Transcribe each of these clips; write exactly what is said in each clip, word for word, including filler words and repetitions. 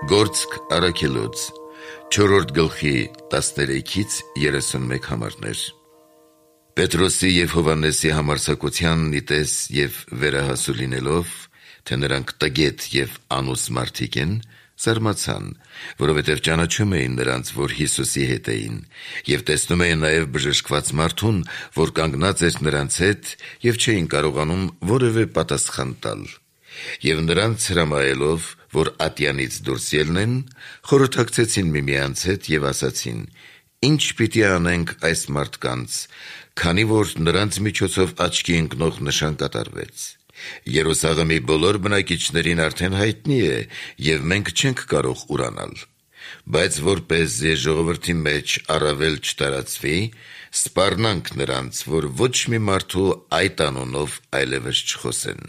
Գործք առաքելոց չորրորդ գլխի տասներեքից երեսունմեկ համարներ։ Պետրոսի և Հովհաննեսի համարձակությանն նիտես և վերահասու լինելով, թե նրանք տգետ և անուս մարդիկ են, զարմացան, որովհետև ճանաչում էին նրանց, որ Հիսուսի հետ էին, և տեսնում էին նաև բժշկված մարդուն, որ կանգնած էր նրանց հետ, և չէին կարողանում որևէ պատասխան տալ։ Եվ նրանց հրամայելով, որ ատյանից դուրս ելնեն, խորհրդակցեցին միմյանց հետ և ասացին. «Ինչ պիտի անենք այս մարդկանց, քանի որ նրանց միջոցով աչքի ընկնող նշան կատարվեց։ Երուսաղեմի բոլոր բնակիչներին արդեն հայտնի է, և մենք չենք կարող ուրանալ։ Բայց որպեսզի ժողովրդի մեջ առավել չտարածվի, սպառնանք նրանց, որ ոչ մի մարդու այդ անունով այլևս չխոսեն»։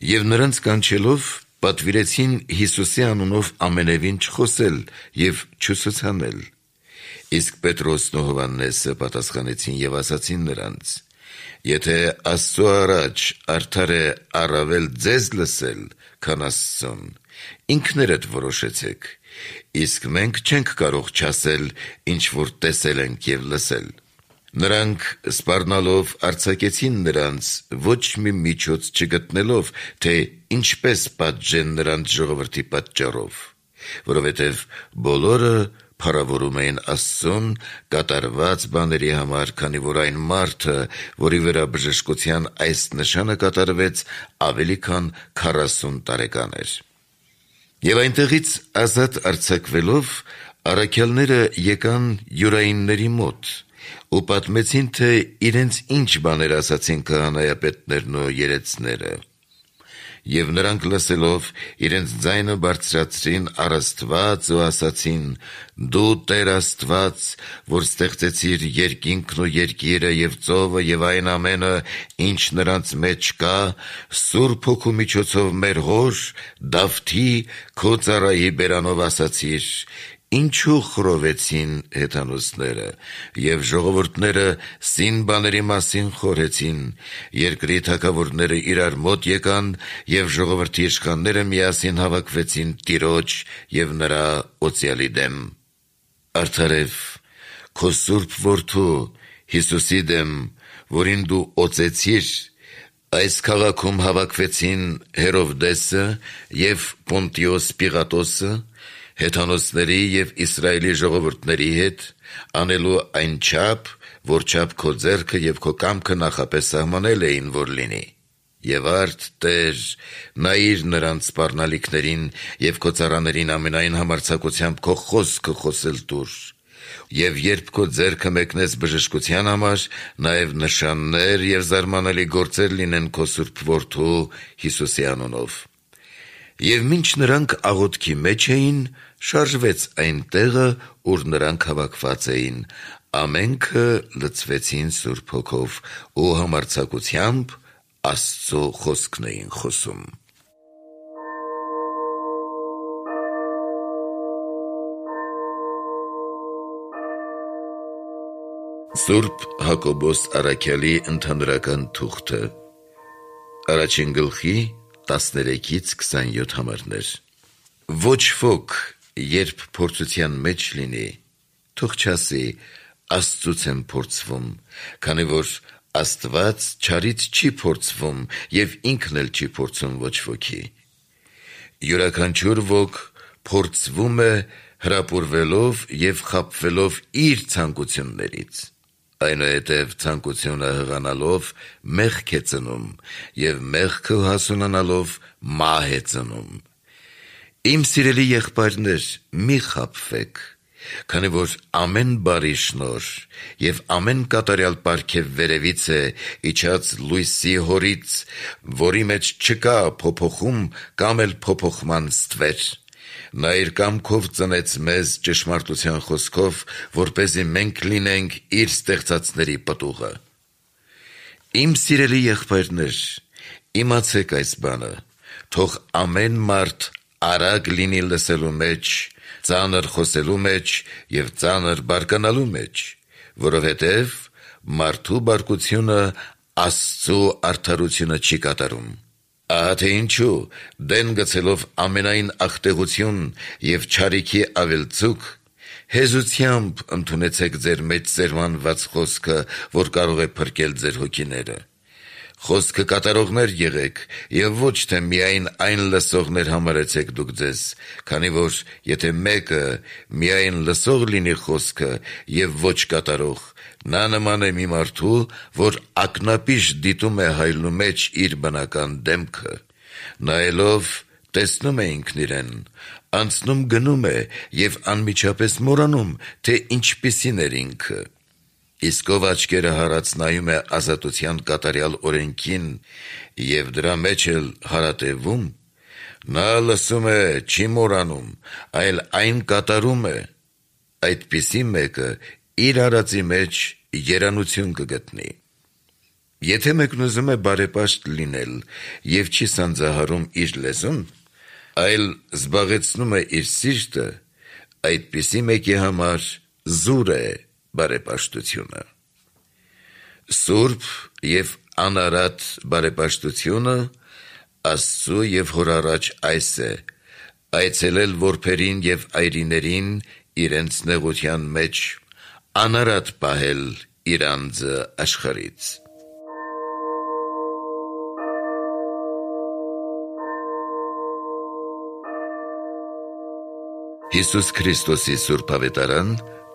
Եվ նրանց կանչելով, պատվիրեցին Հիսուսի անունով ամենևին չխոսել և չուսուցանել։ Իսկ Պետրոսն ու Հովհաննեսը պատասխանեցին և ասացին նրանց. «Եթե Աստծու առաջ արդար է առավել ձեզ լսել, քան Աստծուն, ինքներդ որոշեցեք, իսկ մենք չենք կարող չասել, ինչ որ տեսել ենք և լսել»։ Նրանք սպառնալով արձակեցին նրանց, ոչ մի միջոց չգտնելով, թե ինչպես պատժեն նրանց ժողովրդի պատճառով, որովհետև բոլորը փառավորում էին Աստծուն կատարված բաների համար, քանի որ այն մարդը, որի վրա բժշկության այս նշանը կատարվեց, ավելի քան քառասուն տարեկան էր։ Եվ այնտեղից ազատ արձակվելով, առաքյալները եկան յուրայինների մոտ ու պատմեցին, թե իրենց ինչ բաներ ասացին քահանայապետներն ու երեցները։ Եվ նրանք լսելով, իրենց ձայնը բարձրացրին առ Աստված ու ասացին. «Դու Տեր Աստված, որ ստեղծեցիր երկինքն ու երկիրը և ծովը և այն ամենը, ինչ նրանց մեջ կա, Սուրբ Հոգու միջոցով մեր հոր Դավթի, քո ծառայի բերանով ասացիր. ինչու խռովեցին հեթանոսները, և ժողովուրդները սին բաների մասին խորհեցին, երկրի թագավորները իրար մոտ եկան, և ժողովրդի իշխանները միասին հավաքվեցին Տիրոջ և նրա օծյալի դեմ։ Արդարև քո սուրբ որդու Հիսուսի դեմ, որին դու օծեցիր, այս քաղաքում հավաքվեցին Հերովդեսը և Պոնտիոս Պիղատոսը, հեթանոսների և Իսրայելի ժողովուրդների հետ, անելու այնչափ, որչափ քո ձեռքը և քո կամքը նախապես սահմանել էին, որ լինի։ Եվ արդ, Տեր, նայիր նրանց սպառնալիքներին և քո ծառաներին ամենայն համարձակությամբ քո խոսքը խոսել տուր։ Եվ երբ քո ձեռքը մեկնես բժշկության համար, նաև նշաններ և զարմանալի գործեր լինեն քո սուրբ որդու Հիսուսի անունով։ Եվ մինչ նրանք աղոթքի մեջ էին, շարժվեց այն տեղը, ուր նրանք հավաքված էին, ամենքը լցվեցին Սուրբ Հոգով ու համարձակությամբ Աստծու խոսքն էին խոսում։ Սուրբ Հակոբոս առաքյալի ընդհանրական թուղթը առաջին գլխի տասներեքից քսանյոթ համարներ։ Ոչ ոք, երբ փորձության մեջ լինի, թող չասի. «Աստծուց եմ փորձվում», քանի որ Աստված չարից չի փորձվում և ինքն էլ չի փորձում ոչ ոքի։ Յուրաքանչյուր ոք փորձվում է հրապուրվելով և խաբվելով իր ցանկություններից։ Այնուհետև ցանկությունը հղանալով մեղք է ծնում, և մեղքը հասունանալով մահ է ծնում։ Իմ սիրելի եղբայրներ, մի խաբվեք, քանի որ ամեն բարի շնորհ և ամեն կատարյալ պարգև վերևից է իջած լույսի Հորից, որի մեջ չկա փոփոխում կամ էլ փոփոխման ստվեր։ Նա իր կամքով ծնեց մեզ ճշմարտության խոսքով, որպեսզի մենք լինենք իր ստեղծածների պտուղը։ Իմ սիրելի եղբայրներ, իմացեք այս բանը. թող ամեն մարդ արագ լինի լսելու մեջ, ծանր խոսելու մեջ և ծանր բարկանալու մեջ, որովհետև մարդու բարկությունը Աստծու արդարությունը չի կատարում։ Ահա թե ինչու դեն գցելով ամենայն աղտեղություն եւ չարիքի ավելցուկ, հեզությամբ ընդունեցեք ձեր մեջ սերմանված խոսքը, որ կարող է փրկել ձեր հոգիները։ Խոսքը կատարողներ եղեք եւ ոչ թե միայն այն լսողներ համարեցեք դուք ձեզ, քանի որ եթե մեկը միայն լսող լինի խոսքը եւ ոչ կատարող, նա նման է մի մարդու, որ ակնապիշ դիտում է հայլու մեջ իր բնական դեմքը, նայելով տեսնում է ինքն իրեն, անցնում գնում է եւ անմիջապես մոռանում, թե ինչպիսին էր ինքը։ Իսկ ով աչքերը հարած նայում է ազատության կատարյալ օրենքին եւ դրա մեջ էլ հարատևում, նա լսում է, չի մոռանում, այլ այն կատարում է, այդպիսի մեկը իր արածի մեջ երանություն կգտնի։ Եթե մեկն ուզում է բարեպաշտ լինել եւ չի սանձահարում իր լեզուն, այլ զբաղեցնում է իր սիրտը, այդպիսի մեկի համար զուր է բարեպաշտությունը։ Սուրբ եւ անարատ բարեպաշտությունը Աստծու եւ Հոր առաջ այս է. այցելել որբերին եւ այրիներին իրենց նեղության մեջ, անարատ պահել իր անձը աշխարհից։ Հիսուս Քրիստոսի Սուրբ Ավետարան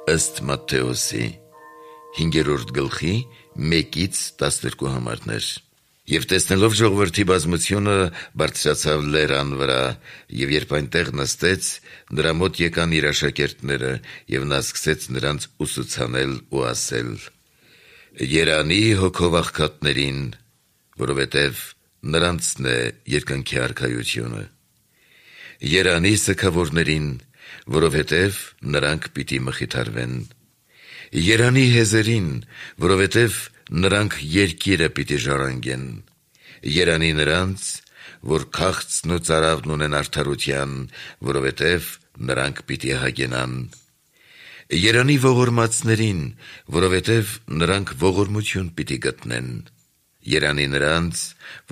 ըստ Մատթեոսի հինգերորդ գլխի մեկից տասներկու համարներ։ Եվ տեսնելով ժողովրդի բազմությունը բարձրացավ լերան վրա, եւ երբ այնտեղ նստեց, նրա մոտ եկան իր աշակերտները, եւ նա սկսեց նրանց ուսուցանել ու ասել. Երանի հոգով աղքատներին, որովհետև նրանցն է երկնքի արքայությունը։ Երանի սգավորներին, որովհետև նրանք պիտի մխիթարվեն։ Երանի հեզերին, որովհետև նրանք երկիրը պիտի ժառանգեն։ Երանի նրանց, որ քաղցն ու ծարավն ունեն արդարության, որովհետև նրանք պիտի հագենան։ Երանի ողորմածներին, որովհետև նրանք ողորմություն պիտի գտնեն։ Երանի նրանց,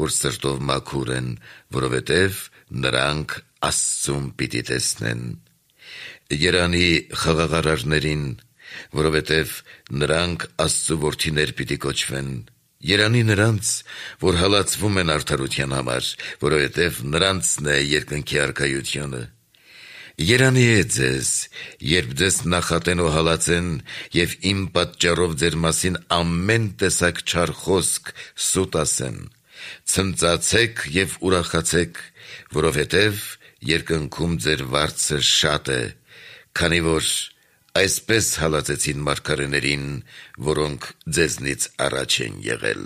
որ սրտով մաքուր են, որովհետև նրանք Աստծուն պիտի տեսնեն։ Երանի խաղաղարարներին, որովհետև նրանք Աստծու որդիներ պիտի կոչվեն։ Երանի նրանց, որ հալածվում են արդարության համար, որովհետև նրանցն է երկնքի արքայությունը։ Երանի է ձեզ, երբ ձեզ նախատեն ու հալածեն, եւ իմ պատճառով ձեր մասին ամեն տեսակ չար խոսք սուտ ասեն։ Ցնծացեք եւ ուրախացեք, որովհետև երկնքում ձեր վարձը շատ է, քանի որ այսպես հալածեցին մարգարեներին, որոնք ձեզնից առաջ են եղել։